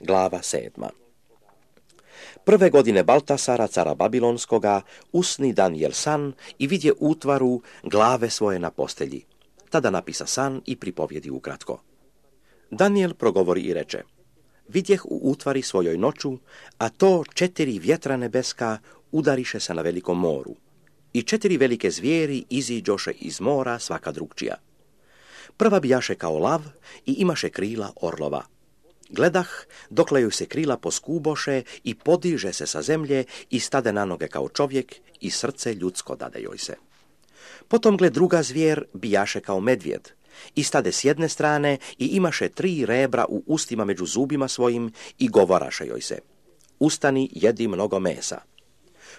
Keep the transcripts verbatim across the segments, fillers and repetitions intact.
Glava sedma. Prve godine Baltasara, cara Babilonskoga, usni Danijel san i vidje útvaru glave svoje na postelji. Tada napisa san i pripovjedi ukratko. Danijel progovori i reče: vidjeh u útvari svojoj noću, a to četiri vjetra nebeska udariše se na velikom moru. I četiri velike zvijeri iziđoše iz mora svaka drugčija. Prva bijaše kao lav i imaše krila orlova. Gledah, dokle joj se krila poskuboše i podiže se sa zemlje i stade na noge kao čovjek i srce ljudsko dade joj se. Potom gled druga zvijer bijaše kao medvjed i stade s jedne strane i imaše tri rebra u ustima među zubima svojim i govoraše joj se: ustani, jedi mnogo mesa.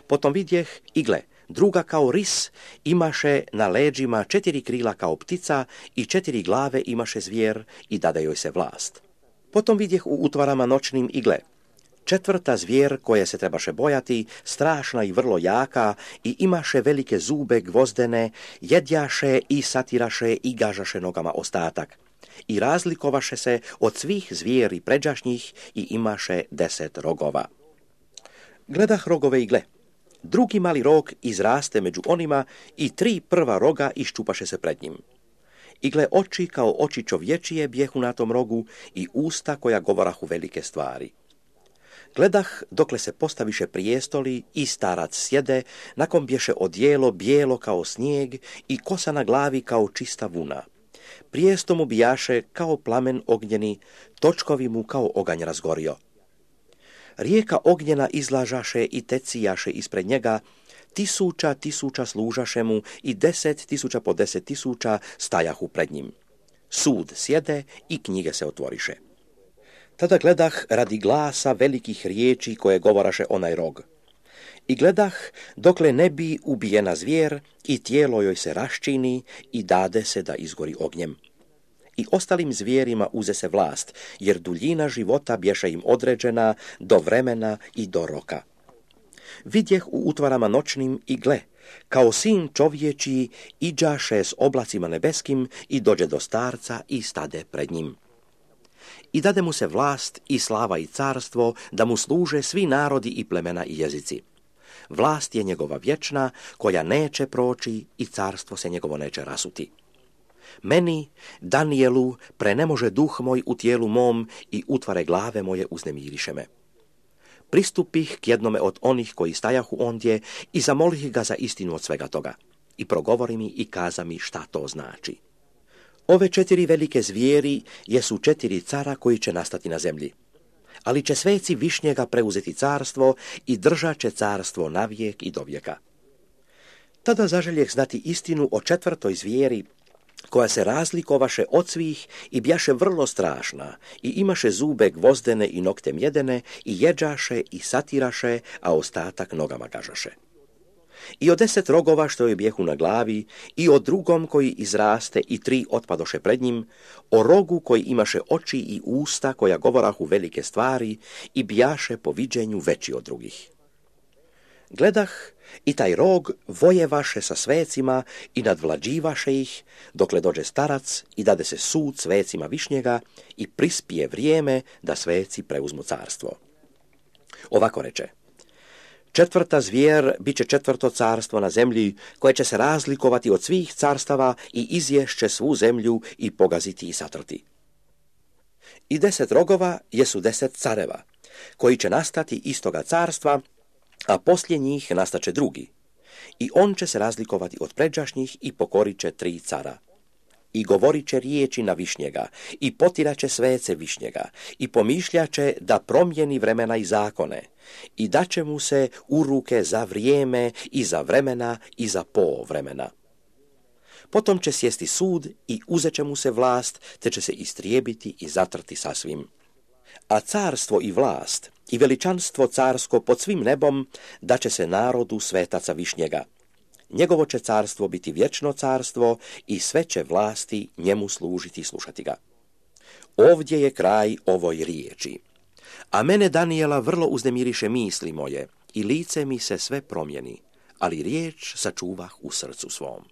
Potom vidjeh i gle, druga kao ris imaše na leđima četiri krila kao ptica i četiri glave imaše zvijer i dade joj se vlast. Potom vidjeh u utvarama noćnim i gle, četvrta zvijer koje se trebaše bojati, strašna i vrlo jaka i imaše velike zube gvozdene, jedjaše i satiraše i gažaše nogama ostatak. I razlikovaše se od svih zvijeri pređašnjih i imaše deset rogova. Gledah rogove i gle, drugi mali rog izraste među onima i tri prva roga iščupaše se pred njim. I gle, oči kao oči čovječije bjehu na tom rogu i usta koja govorahu velike stvari. Gledah, dokle se postaviše prijestoli i starac sjede, nakon bješe odijelo bijelo kao snijeg i kosa na glavi kao čista vuna. Prijesto mu bijaše kao plamen ognjeni, točkovi mu kao oganj razgorio. Rijeka ognjena izlažaše i tecijaše ispred njega, tisuća tisuća služaše mu i deset tisuća po deset tisuća stajahu pred njim. Sud sjede i knjige se otvoriše. Tada gledah radi glasa velikih riječi koje govoraše onaj rog. I gledah dokle ne bi ubijena zvijer i tijelo joj se raščini i dade se da izgori ognjem. I ostalim zvijerima uze se vlast, jer duljina života bješe im određena do vremena i do roka. Vidjeh u utvarama noćnim i gle, kao sin čovječiji iđaše s oblacima nebeskim i dođe do starca i stade pred njim. I dade mu se vlast i slava i carstvo da mu služe svi narodi i plemena i jezici. Vlast je njegova vječna, koja neće proći i carstvo se njegovo neće rasuti. Meni, Danijelu, prenemože duh moj u tijelu mom i utvare glave moje uznemiriše me. Pristupih k jednome od onih koji stajahu ondje i zamolih ga za istinu od svega toga. I progovori mi i kaza mi šta to znači. Ove četiri velike zvijeri jesu četiri cara koji će nastati na zemlji. Ali će sveci Višnjega preuzeti carstvo i držat će carstvo navijek i dovijeka. Tada zaželjeh znati istinu o četvrtoj zvijeri, koja se razlikovaše od svih i bjaše vrlo strašna i imaše zube gvozdene i nokte mjedene i jeđaše i satiraše, a ostatak nogama gažaše. I od deset rogova što joj bjehu na glavi i o drugom koji izraste i tri otpadoše pred njim, o rogu koji imaše oči i usta koja govorahu velike stvari i bjaše po viđenju veći od drugih. Gledah i taj rog vojevaše sa svecima i nadvlađivaše ih, dokle dođe starac i dade se sud svecima Višnjega i prispije vrijeme da sveci preuzmu carstvo. Ovako reče: četvrta zvijer bit će četvrto carstvo na zemlji, koje će se razlikovati od svih carstava i izješće svu zemlju i pogaziti i satrti. I deset rogova jesu deset careva, koji će nastati istoga carstva, a poslije njih nastaće drugi. I on će se razlikovati od pređašnjih i pokorit će tri cara. I govorit će riječi na Višnjega, i potiraće svece Višnjega, i pomišljaće da promijeni vremena i zakone, i daće mu se u ruke za vrijeme i za vremena i za po vremena. Potom će sjesti sud i uzet će mu se vlast, te će se istrijebiti i zatrti sasvim. A carstvo i vlast i veličanstvo carsko pod svim nebom daće se narodu svetaca Višnjega. Njegovo će carstvo biti vječno carstvo i sve će vlasti njemu služiti i slušati ga. Ovdje je kraj ovoj riječi. A mene, Danijela, vrlo uznemiriše misli moje i lice mi se sve promijeni, ali riječ sačuvah u srcu svom.